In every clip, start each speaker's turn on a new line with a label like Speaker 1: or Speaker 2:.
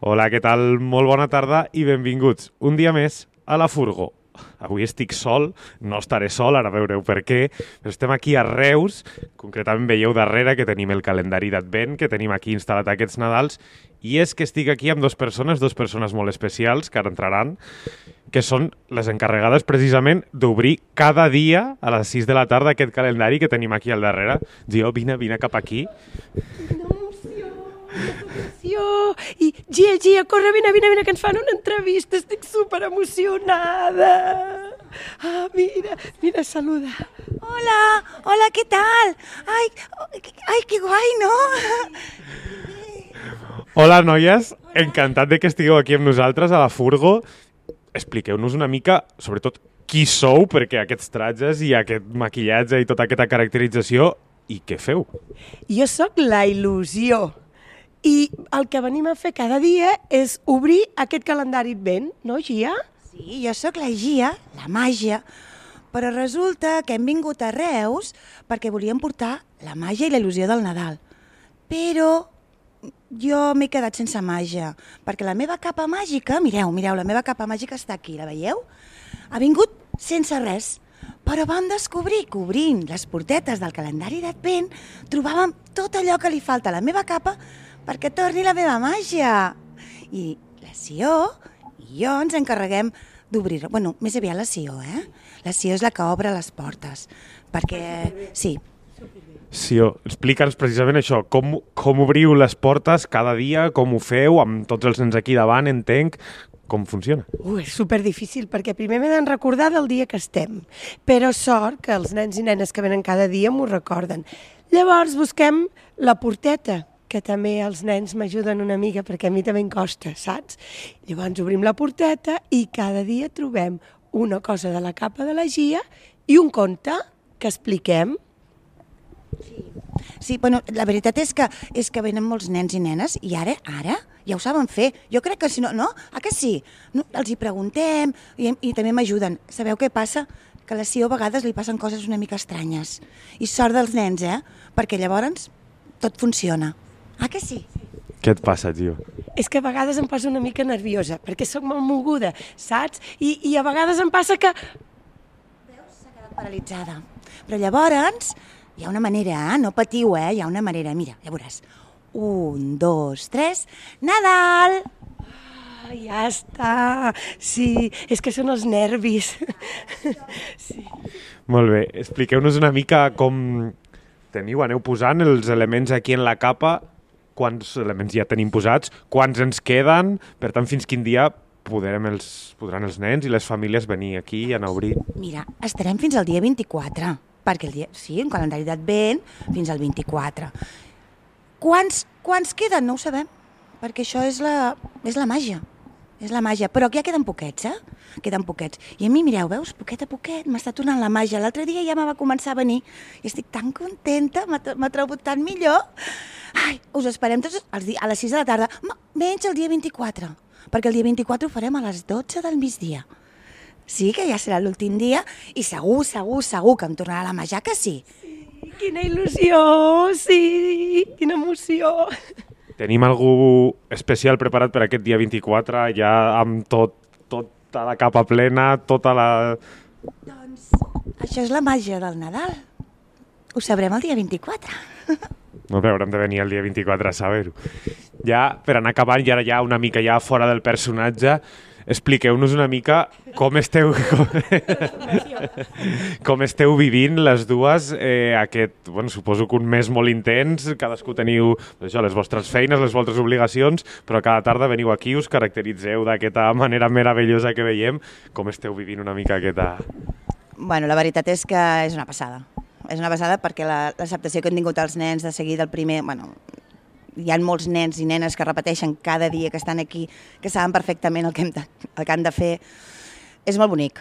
Speaker 1: Hola, què tal? Molt bona tarda i benvinguts un dia més a La Furgo. Avui estic sol, no estaré sol, ara veureu per què, però estem aquí a Reus, concretament veieu darrere que tenim el calendari d'Advent, que tenim aquí instal·lat aquests Nadals, i és que estic aquí amb dues persones molt especials que ara entraran, que són les encarregades precisament d'obrir cada dia a les 6 de la tarda aquest calendari que tenim aquí al darrere. Gio, vine cap aquí.
Speaker 2: I Gia, corre, vine, que ens fan una entrevista, estic super emocionada. Mira, saluda.
Speaker 3: Hola, ¿qué tal? Ay, qué guai, no?
Speaker 1: Hola, noies, encantat de que estigueu aquí amb nosaltres a La Furgo. Expliqueu-nos una mica, sobretot, qui sou, perquè aquests tratges i aquest maquillatge i tota aquesta caracterització, i què feu?
Speaker 2: Jo sóc la Il·lusió. I el que venim a fer cada dia és obrir aquest calendari Advent, no, Gia?
Speaker 3: Sí, jo sóc la Gia, la màgia, però resulta que hem vingut a Reus perquè volíem portar la màgia i la il·lusió del Nadal. Però jo m'he quedat sense màgia, perquè la meva capa màgica, mireu, la meva capa màgica està aquí, la veieu? Ha vingut sense res, però vam descobrir que obrint les portetes del calendari d'Advent trobàvem tot allò que li falta a la meva capa perquè torni la meva màgia. I la Sió i jo ens encarreguem d'obrir-ho. Bueno, més aviat la Sió, La Sió és la que obre les portes, perquè sí.
Speaker 1: Sió, explica'ns precisament això, com obriu les portes cada dia, com ho feu, amb tots els nens aquí davant, entenc, com funciona?
Speaker 2: És superdifícil, perquè primer m'he de recordar del dia que estem, però sort que els nens i nenes que venen cada dia m'ho recorden. Llavors busquem la porteta, que també els nens m'ajuden una mica, perquè a mi també em costa, saps? Llavors obrim la porteta i cada dia trobem una cosa de la capa de la Gia i un conte que expliquem.
Speaker 3: Sí, bueno, la veritat és que venen molts nens i nenes i ara ja ho saben fer. Jo crec que si no, no? Que sí? No, els hi preguntem i també m'ajuden. Sabeu què passa? Que a la Sió a vegades li passen coses una mica estranyes. I sort dels nens, perquè llavors tot funciona. Que sí?
Speaker 1: Què et passa, Gio?
Speaker 2: És que a vegades em poso una mica nerviosa, perquè sóc molt moguda, saps? I a vegades em passa que...
Speaker 3: Veus? S'ha quedat paralitzada. Però llavors hi ha una manera, no patiu, hi ha una manera. Mira, ja veuràs. 1, 2, 3, Nadal!
Speaker 2: Ja està. Sí, és que són els nervis. Sí.
Speaker 1: Molt bé, expliqueu-nos una mica com aneu posant els elements aquí en la capa, quants elements ja tenim posats, quants ens queden, per tant, fins quin dia podran els nens i les famílies venir aquí i anar a obrir?
Speaker 3: Mira, estarem fins al dia 24, perquè un calendari d'Advent fins al 24. Quants queden? No ho sabem, perquè això és la màgia. És la màgia, però ja queden poquets, Queden poquets. I a mi, mireu, veus, poquet a poquet m'està tornant la màgia. L'altre dia ja me va començar a venir i estic tan contenta, m'ha trobat tan millor. Us esperem tots a les 6 de la tarda, menys el dia 24, perquè el dia 24 ho farem a les 12 del migdia. Sí, que ja serà l'últim dia i segur que em tornarà la màgia, que sí?
Speaker 2: Sí, quina il·lusió, sí, quina emoció.
Speaker 1: Tenim algú especial preparat per aquest dia 24, ja amb tota la capa plena, tota la...
Speaker 3: Doncs això és la màgia del Nadal. Ho sabrem el dia 24.
Speaker 1: No, però haurem de venir el dia 24 a saber-ho. Ja, per anar acabant, i ara ja una mica ja fora del personatge, expliqueu-nos una mica com esteu vivint les dues suposo que un mes molt intens, cadascú teniu les vostres feines, les vostres obligacions, però cada tarda veniu aquí, us caracteritzeu d'aquesta manera meravellosa que veiem. Com esteu vivint una mica aquesta...
Speaker 3: Bueno, la veritat és que és una passada. És una passada perquè l'acceptació que han tingut els nens de seguir del primer... Hi ha molts nens i nenes que repeteixen cada dia que estan aquí, que saben perfectament el que han de fer. És molt bonic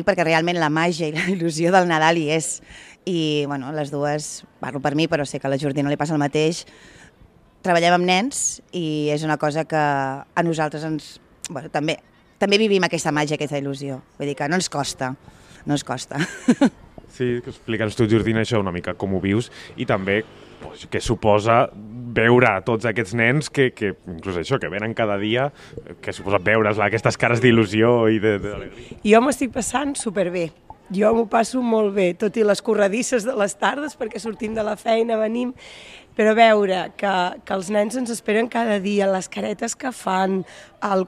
Speaker 3: perquè realment la màgia i la il·lusió del Nadal hi és. I les dues, parlo per mi, però sé que a la Jordina li passa el mateix, treballem amb nens i és una cosa que a nosaltres també vivim aquesta màgia, aquesta il·lusió. Vull dir que no ens costa.
Speaker 1: Sí, explica'ns tu, Jordina, això una mica, com ho vius, i també que suposa veure tots aquests nens que inclús això, que venen cada dia, que suposa veure's aquestes cares d'il·lusió i d'alegria.
Speaker 2: Jo m'estic passant superbé. Jo m'ho passo molt bé, tot i les corredisses de les tardes, perquè sortim de la feina, venim, però veure que els nens ens esperen cada dia, les caretes que fan,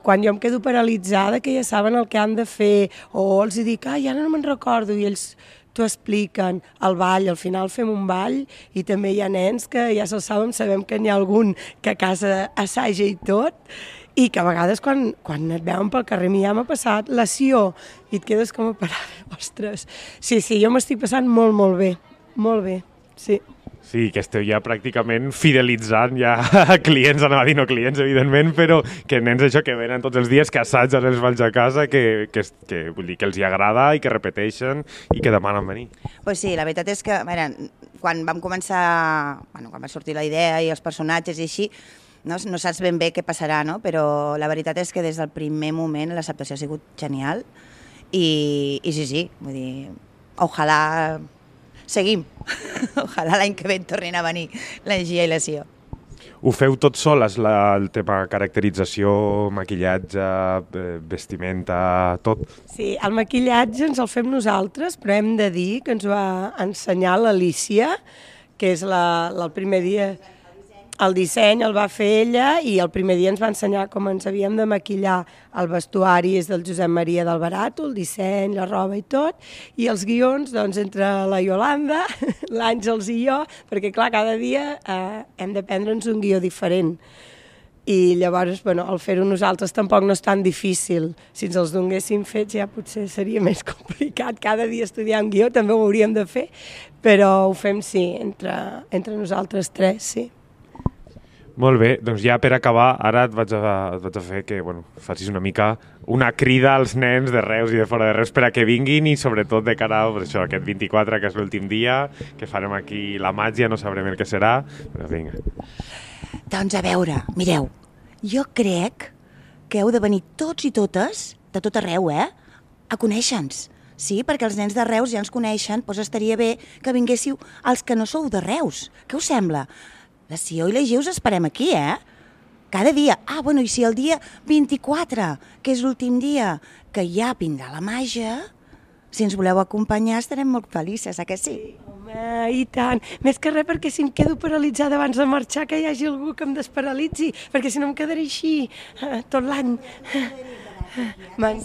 Speaker 2: quan jo em quedo paralitzada, que ja saben el que han de fer, o els dic, ja no me'n recordo, i ells t'ho expliquen, el ball, al final fem un ball, i també hi ha nens que ja se'l saben, sabem que n'hi ha algun que a casa assaja i tot, i que a vegades quan et veuen pel carrer, a mi ja m'ha passat la Sió, i et quedes com a parada, ostres. Sí, jo m'estic passant molt bé, sí.
Speaker 1: Sí, que esteu ja pràcticament fidelitzant ja clients, anava a dir no clients, evidentment, però que nens això que venen tots els dies, que assaggen els balls a casa, que vull dir, que els hi agrada i que repeteixen i que demanen venir.
Speaker 3: Pues sí, la veritat és que, mira, quan vam començar, quan va sortir la idea i els personatges i així, no saps ben bé què passarà, no? Però la veritat és que des del primer moment l'acceptació ha sigut genial i sí, vull dir, ojalà seguim, ojalà l'any que ve tornin a venir la Gia i la Sió.
Speaker 1: Ho feu tot soles, el tema caracterització, maquillatge, vestimenta, tot?
Speaker 2: Sí, el maquillatge ens el fem nosaltres, però hem de dir que ens ho va ensenyar l'Alícia, que és el primer dia. El disseny el va fer ella i el primer dia ens va ensenyar com ens havíem de maquillar. El vestuari és del Josep Maria d'Albarato, el disseny, la roba i tot, i els guions, doncs, entre la Iolanda, l'Àngels i jo, perquè, clar, cada dia hem de prendre'ns un guió diferent. I llavors, el fer-ho nosaltres tampoc no és tan difícil. Si ens els donéssim fets ja potser seria més complicat. Cada dia estudiar un guió també ho hauríem de fer, però ho fem, sí, entre nosaltres tres, sí.
Speaker 1: Molt bé, doncs ja per acabar, ara et vaig a fer que facis una mica una crida als nens de Reus i de fora de Reus per a que vinguin i sobretot de cara a aquest 24, que és l'últim dia, que farem aquí la màgia, no sabrem el que serà, però vinga.
Speaker 3: Doncs a veure, mireu, jo crec que heu de venir tots i totes, de tot arreu, a conèixer-nos. Sí, perquè els nens de Reus ja ens coneixen, doncs estaria bé que vinguéssiu els que no sou de Reus. Què us sembla? La Sió i la Gia us esperem aquí, Cada dia. I si el dia 24, que és l'últim dia, que ja vindrà la màgia, si ens voleu acompanyar estarem molt felices, que sí?
Speaker 2: Home, i tant. Més que res perquè si em quedo paralitzada abans de marxar, que hi hagi algú que em desparalitzi, perquè si no em quedaré així tot l'any.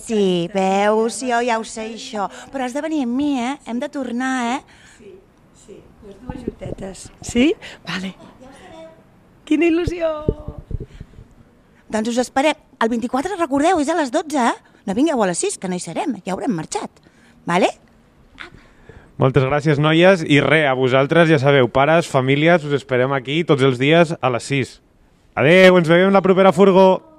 Speaker 3: Sí, veus, jo ja ho sé, això. Però has de venir amb mi, Hem de tornar,
Speaker 2: Sí, les dues juntetes. Sí? Vale. Quina il·lusió!
Speaker 3: Doncs us esperem. El 24, recordeu, és a les 12, No vingueu a les 6, que no hi serem, ja haurem marxat. Vale?
Speaker 1: Moltes gràcies, noies, i a vosaltres, ja sabeu, pares, famílies, us esperem aquí tots els dies a les 6. Adeu, ens veiem la propera furgo!